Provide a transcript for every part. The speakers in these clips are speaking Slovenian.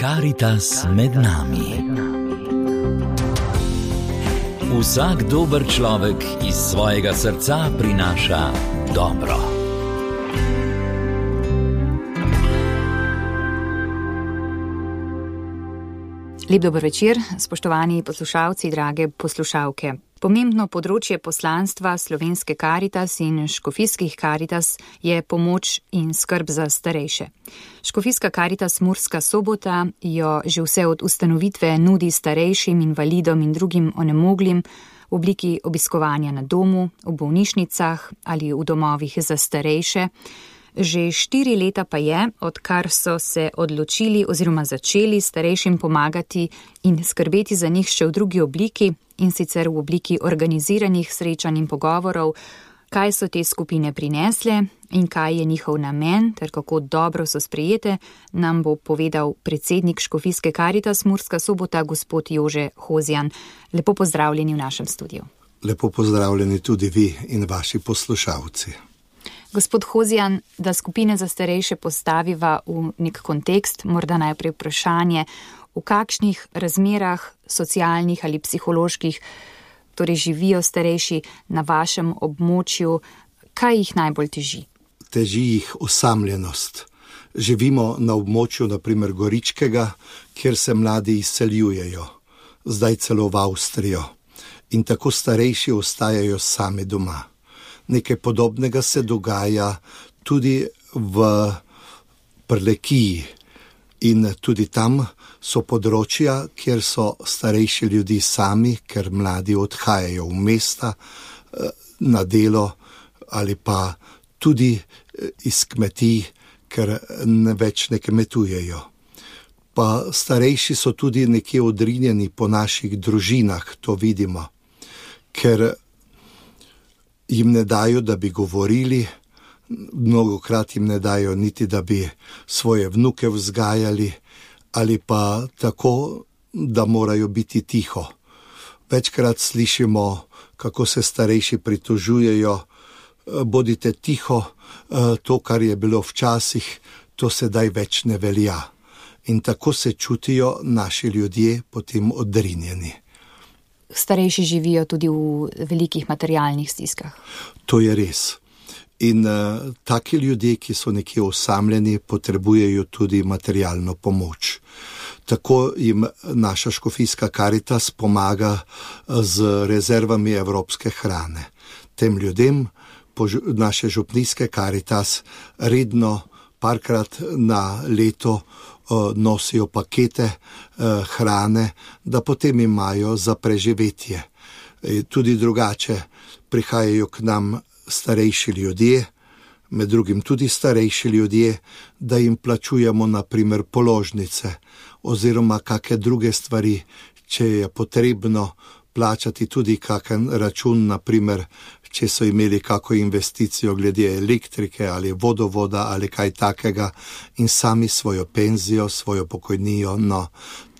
Karitas med nami. Vsak dober človek iz svojega srca prinaša dobro. Lep dober večer, spoštovani poslušalci, drage poslušalke. Pomembno področje poslanstva Slovenske Karitas in škofijskih Karitas je pomoč in skrb za starejše. Škofijska Karitas Murska Sobota jo že vse od ustanovitve nudi starejšim, invalidom in drugim onemoglim v obliki obiskovanja na domu, v bolnišnicah ali v domovih za starejše. Že 4 leta pa je, odkar so se odločili oziroma začeli starejšim pomagati in skrbeti za njih še v drugi obliki, in sicer v obliki organiziranih srečanj in pogovorov, kaj so te skupine prinesle in kaj je njihov namen ter kako dobro so sprejete, nam bo povedal predsednik Škofijske Karitas Murska Sobota, gospod Jože Hozjan. Lepo pozdravljeni v našem studiu. Lepo pozdravljeni tudi vi in vaši poslušalci. Gospod Hozjan, da skupine za starejše postaviva v nek kontekst, morda najprej vprašanje, v kakšnih razmerah socialnih ali psiholoških torej živijo starejši na vašem območju, kaj jih najbolj teži? Teži jih osamljenost. Živimo na območju, na primer Goričkega, kjer se mladi izseljujejo, zdaj celo v Avstrijo. In tako starejši ostajajo sami doma. Nekaj podobnega se dogaja tudi v Prlekiji in tudi tam so področja, kjer so starejši ljudi sami, ker mladi odhajajo v mesta na delo ali pa tudi iz kmetij, ker več ne kmetujejo. Pa starejši so tudi nekje odrinjeni po naših družinah, to vidimo, ker jim ne dajo, da bi govorili, mnogokrat jim ne dajo niti, da bi svoje vnuke vzgajali, ali pa tako, da morajo biti tiho. Večkrat slišimo, kako se starejši pritožujejo, bodite tiho, to, kar je bilo včasih, to sedaj več ne velja. In tako se čutijo naši ljudje potem odrinjeni. Starejši živijo tudi v velikih materialnih stiskah. To je res. In taki ljudje, ki so nekje osamljeni, potrebujejo tudi materialno pomoč. Tako jim naša Škofijska Karitas pomaga z rezervami evropske hrane. Tem ljudem naše župnijske Karitas redno parkrat na leto nosijo pakete hrane, da potem imajo za preživetje. Tudi drugače prihajajo k nam starejši ljudje, med drugim tudi starejši ljudje, da jim plačujemo na primer položnice oziroma kakšne druge stvari, če je potrebno plačati tudi kakšen račun, na primer, če so imeli kako investicijo glede elektrike ali vodovoda ali kaj takega in sami svojo penzijo, svojo pokojnijo, no,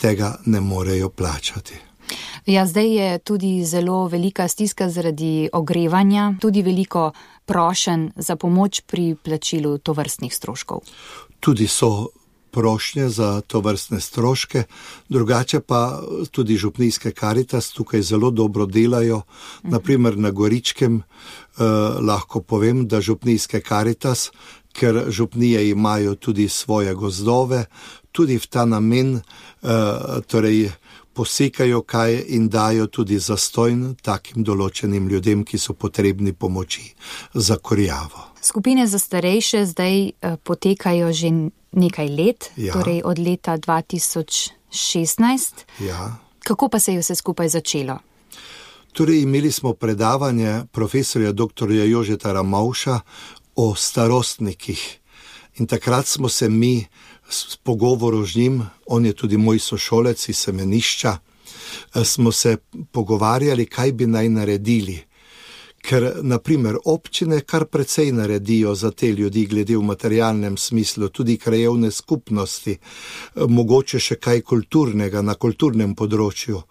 tega ne morejo plačati. Ja, zdaj je tudi zelo velika stiska zaradi ogrevanja, tudi veliko prošenj za pomoč pri plačilu tovrstnih stroškov. Tudi so prošnje za tovrstne stroške, drugače pa tudi župnijske Karitas tukaj zelo dobro delajo. Naprimer na Goričkem lahko povem, da župnijske Karitas, ker župnije imajo tudi svoje gozdove, tudi v ta namen torej posekajo kaj in dajo tudi zastojn takim določenim ljudem, ki so potrebni pomoči za kurjavo. Skupine za starejše zdaj potekajo že nekaj let, ja. Torej od leta 2016. Ja. Kako pa se je vse skupaj začelo? Torej imeli smo predavanje profesorja dr. Jožeta Ramovša o starostnikih in takrat smo se mi s pogovorom z njim, on je tudi moj sošolec iz semenišča, smo se pogovarjali, kaj bi naj naredili. Ker, na primer, občine kar precej naredijo za te ljudi glede v materialnem smislu, tudi krajevne skupnosti, mogoče še kaj kulturnega na kulturnem področju.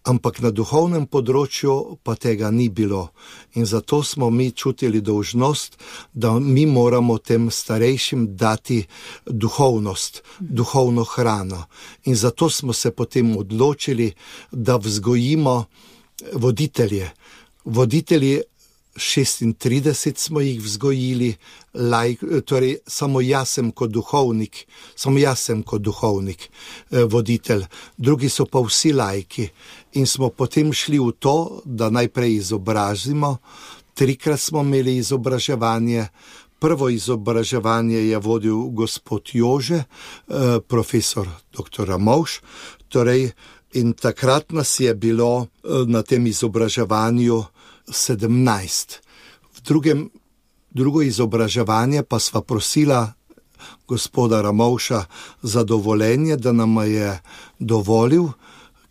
Ampak na duhovnem področju pa tega ni bilo. In zato smo mi čutili dolžnost, da mi moramo tem starejšim dati duhovnost, duhovno hrano. In zato smo se potem odločili, da vzgojimo voditelje. Voditelji 36 smo jih vzgojili, torej samo jaz sem kot duhovnik, voditelj, drugi so pa vsi laiki. In smo potem šli v to, da najprej izobrazimo. 3-krat smo imeli izobraževanje. Prvo izobraževanje je vodil gospod Jože, profesor dr. Ramovš, torej in takrat nas je bilo na tem izobraževanju 17. Drugo izobraževanje pa sva prosila gospoda Ramovša za dovoljenje, da nam je dovolil,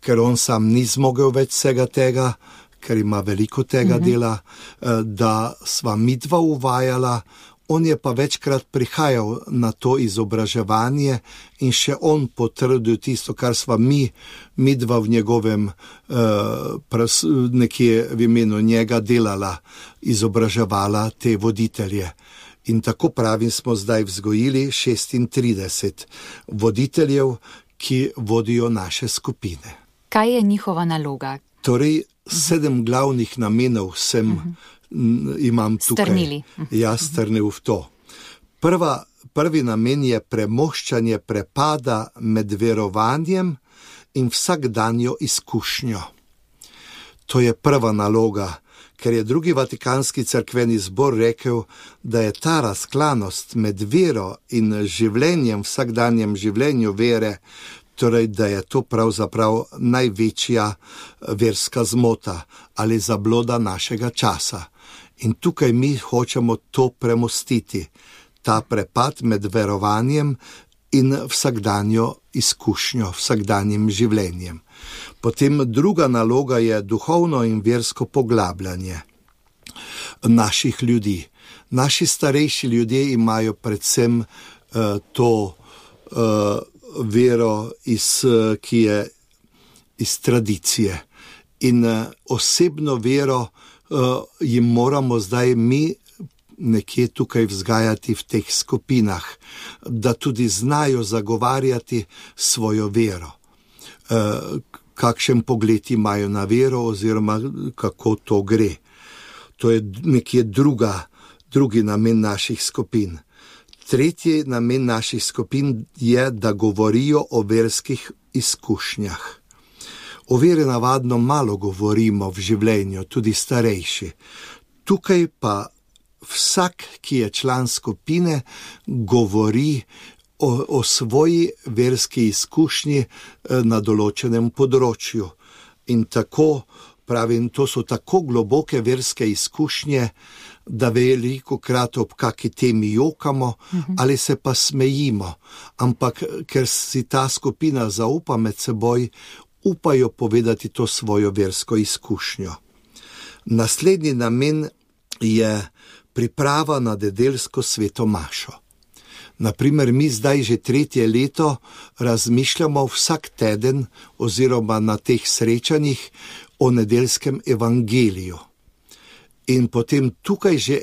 ker on sam ni zmogel več vsega tega, ker ima veliko tega dela, da sva midva uvajala. On je pa večkrat prihajal na to izobraževanje in še on potrdil tisto, kar sva midva v njegovem nekje v imenu njega delala, izobraževala te voditelje. In tako pravim, smo zdaj vzgojili 36 voditeljev, ki vodijo naše skupine. Kaj je njihova naloga? Torej, 7 glavnih namenov imam tukaj. Strnili. Jaz strnil v to. Prvi namen je premoščanje prepada med verovanjem in vsakdanjo izkušnjo. To je prva naloga, ker je drugi Vatikanski cerkveni zbor rekel, da je ta razklanost med vero in življenjem, vsakdanjem življenju vere, torej da je to pravzaprav največja verska zmota ali zabloda našega časa. In tukaj mi hočemo to premostiti, ta prepad med verovanjem in vsakdanjo izkušnjo, vsakdanjim življenjem. Potem druga naloga je duhovno in versko poglabljanje naših ljudi. Naši starejši ljudje imajo predvsem to vero, ki je iz tradicije. In osebno vero jim moramo zdaj mi nekje tukaj vzgajati v teh skupinah, da tudi znajo zagovarjati svojo vero. Kakšen pogled imajo na vero oziroma kako to gre. To je nekje drugi namen naših skupin. Tretji namen naših skupin je, da govorijo o verskih izkušnjah. O veri navadno malo govorimo v življenju, tudi starejši. Tukaj pa vsak, ki je član skupine, govori o svoji verski izkušnji na določenem področju. In tako, pravim, to so tako globoke verske izkušnje, da velikokrat ob kaki temi jokamo ali se pa smejimo. Ampak ker si ta skupina zaupa med seboj, upajo povedati to svojo versko izkušnjo. Naslednji namen je priprava na nedeljsko sveto mašo. Naprimer, mi zdaj že 3. leto razmišljamo vsak teden oziroma na teh srečanjih o nedeljskem evangeliju. In potem tukaj že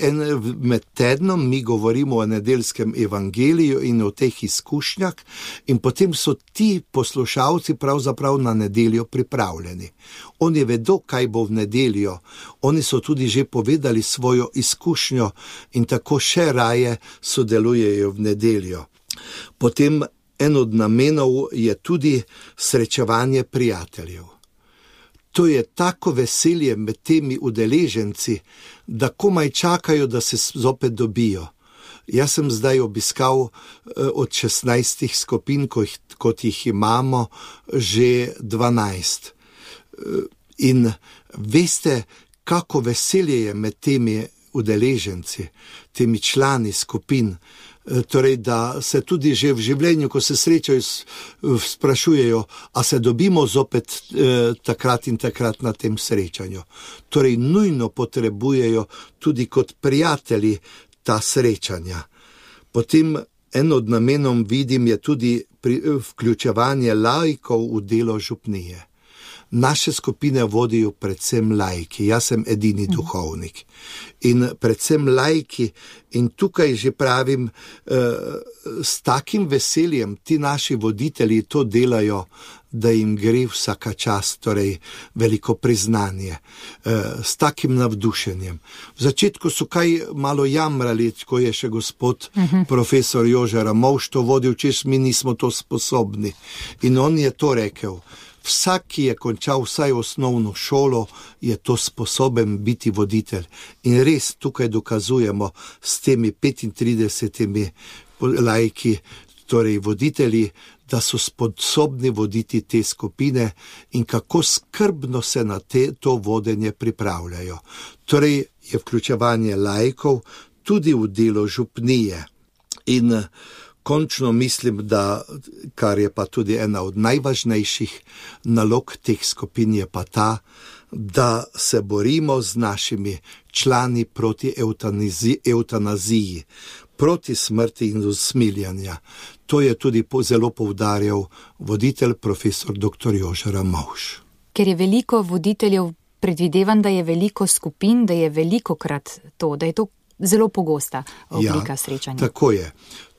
med tednom mi govorimo o nedeljskem evangeliju in o teh izkušnjah in potem so ti poslušalci pravzaprav na nedeljo pripravljeni. Oni vedo, kaj bo v nedeljo. Oni so tudi že povedali svojo izkušnjo in tako še raje sodelujejo v nedeljo. Potem en od namenov je tudi srečevanje prijateljev. To je tako veselje med temi udeleženci, da komaj čakajo, da se zopet dobijo. Jaz sem zdaj obiskal od 16 skupin, kot jih imamo, že 12. In veste, kako veselje je med temi udeleženci, temi člani skupin. Torej, da se tudi že v življenju, ko se srečajo, sprašujejo, a se dobimo zopet takrat in takrat na tem srečanju. Torej, nujno potrebujejo tudi kot prijatelji ta srečanja. Potem en od namenov vidim je tudi vključevanje laikov v delo župnije. Naše skupine vodijo predvsem laiki, jaz sem edini duhovnik. In predvsem laiki, in tukaj že pravim, s takim veseljem ti naši voditelji to delajo, da jim gre vsaka čast, torej veliko priznanje, s takim navdušenjem. V začetku so kaj malo jamrali, ko je še gospod profesor Jože Ramovš to vodil, češ mi nismo to sposobni. In on je to rekel. Vsak, ki je končal vsaj osnovno šolo, je to sposoben biti voditelj. In res tukaj dokazujemo s temi 35 laiki, torej voditelji, da so sposobni voditi te skupine in kako skrbno se na to vodenje pripravljajo. Torej je vključevanje laikov tudi v delo župnije. In končno mislim, da, kar je pa tudi ena od najvažnejših nalog teh skupin, je pa ta, da se borimo z našimi člani proti evtanaziji, proti smrti in usmiljenja. To je tudi zelo poudarjal voditelj profesor dr. Jože Ramovš. Ker je veliko voditeljev, predvidevam, da je veliko skupin, da je velikokrat to, da je to zelo pogosta oblika srečanja. Tako je.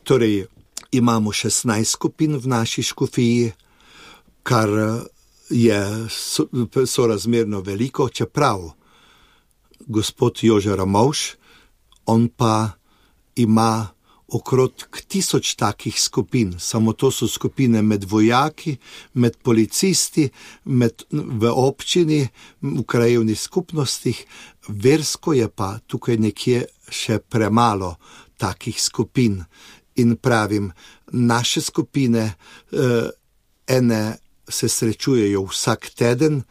Torej, imamo 16 skupin v naši škofiji, kar je sorazmerno veliko, čeprav gospod Jože Ramovš, on pa ima okrog 1000 takih skupin. Samo to so skupine med vojaki, med policisti, v občini, v krajevnih skupnostih. Versko je pa tukaj nekje še premalo takih skupin. In pravim, naše skupine, ene se srečujejo vsak teden,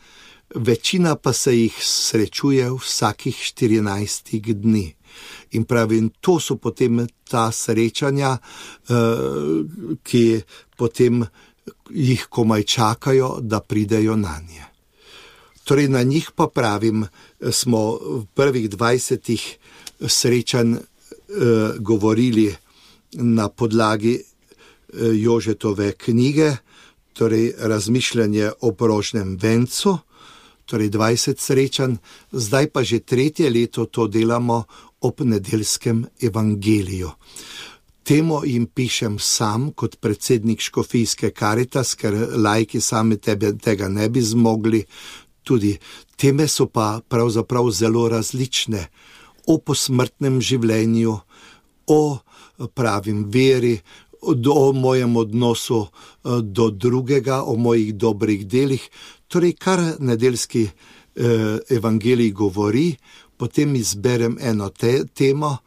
večina pa se jih srečuje vsakih 14 dni. In pravim, to so potem ta srečanja, ki potem jih komaj čakajo, da pridejo na nje. Torej na njih pa pravim, smo v prvih 20 srečanj govorili na podlagi Jožetove knjige, torej Razmišljanje o prožnem vencu, torej 20 srečanj, zdaj pa že 3. leto to delamo ob nedeljskem evangeliju. Temo jim pišem sam kot predsednik škofijske Karitas, ker laiki sami tega ne bi zmogli. Tudi teme so pa pravzaprav zelo različne. O posmrtnem življenju, o pravim veri, o mojem odnosu do drugega, o mojih dobrih delih. Torej, kar nedeljski evangelij govori, potem izberem eno temo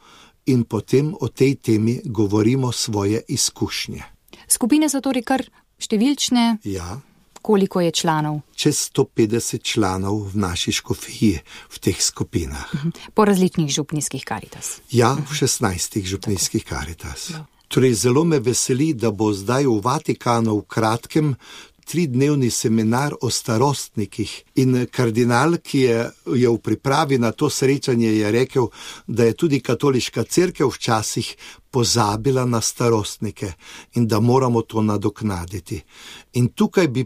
in potem o tej temi govorimo svoje izkušnje. Skupine so torej kar številčne? Ja. Koliko je članov? Čez 150 članov v naši škofiji v teh skupinah. Po različnih župnijskih Karitas? Ja, v 16 župnijskih Karitas. Torej, zelo me veseli, da bo zdaj v Vatikanu v kratkem 3-dnevni seminar o starostnikih. In kardinal, ki je v pripravi na to srečanje, je rekel, da je tudi katoliška cerkev včasih pozabila na starostnike in da moramo to nadoknaditi. In tukaj bi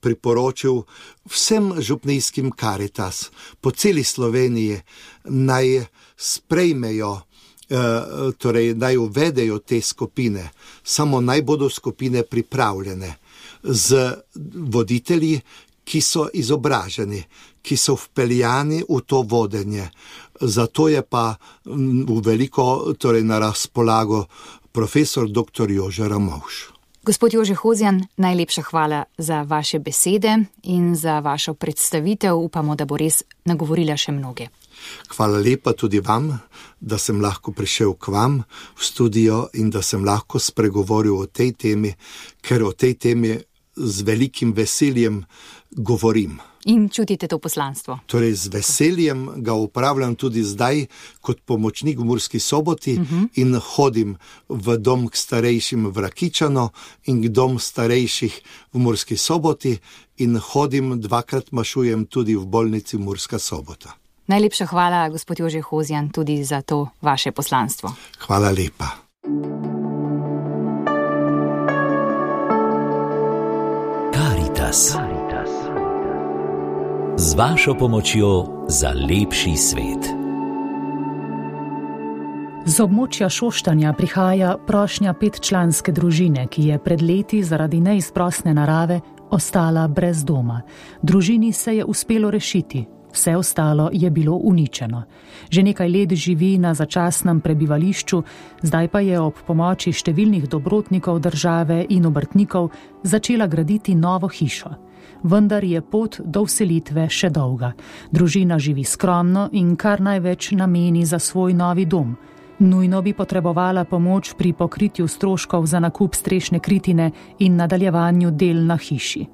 priporočil vsem župnijskim Karitas po celi Sloveniji, naj sprejmejo, torej naj uvedejo te skupine, samo naj bodo skupine pripravljene z voditelji, ki so izobraženi, ki so vpeljani v to vodenje. Zato je pa v veliko, torej na razpolago profesor dr. Jože Ramovš. Gospod Jože Hozjan, najlepša hvala za vaše besede in za vašo predstavitev. Upamo, da bo res nagovorila še mnoge. Hvala lepa tudi vam, da sem lahko prišel k vam v studio in da sem lahko spregovoril o tej temi, ker o tej temi z velikim veseljem govorim. In čutite to poslanstvo? Torej, z veseljem ga upravljam tudi zdaj kot pomočnik v Murski Soboti in hodim v dom k starejšim v Rakičano in k dom starejših v Murski Soboti in hodim, 2-krat mašujem tudi v bolnici Murska Sobota. Najlepša hvala, gospod Jože Hozjan, tudi za to vaše poslanstvo. Hvala lepa. Karitas. z vašo pomočjo za lepši svet. Z območja Šoštanja prihaja prošnja 5-članske družine, ki je pred leti zaradi neizprosne narave ostala brez doma. Družini se je uspelo rešiti, vse ostalo je bilo uničeno. Že nekaj let živi na začasnem prebivališču, zdaj pa je ob pomoči številnih dobrotnikov države in obrtnikov začela graditi novo hišo. Vendar je pot do vselitve še dolga. Družina živi skromno in kar največ nameni za svoj novi dom. Nujno bi potrebovala pomoč pri pokritju stroškov za nakup strešne kritine in nadaljevanju del na hiši.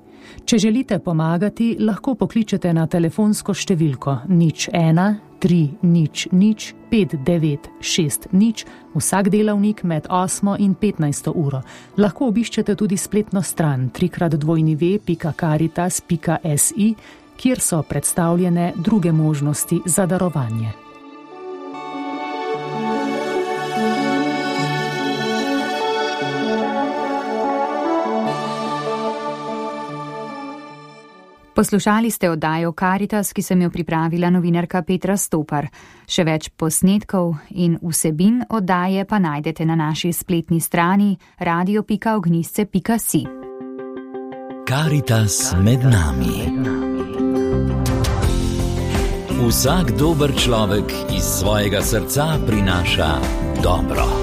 Če želite pomagati, lahko pokličete na telefonsko številko 01 300 5960 vsak delavnik med 8 in 15 uro. Lahko obiščete tudi spletno stran www.caritas.si, kjer so predstavljene druge možnosti za darovanje. Poslušali ste oddajo Caritas, ki sem jo pripravila novinarka Petra Stopar. Še več posnetkov in vsebin oddaje pa najdete na naši spletni strani radio.ognisce.si. Caritas med nami. Vsak dober človek iz svojega srca prinaša dobro.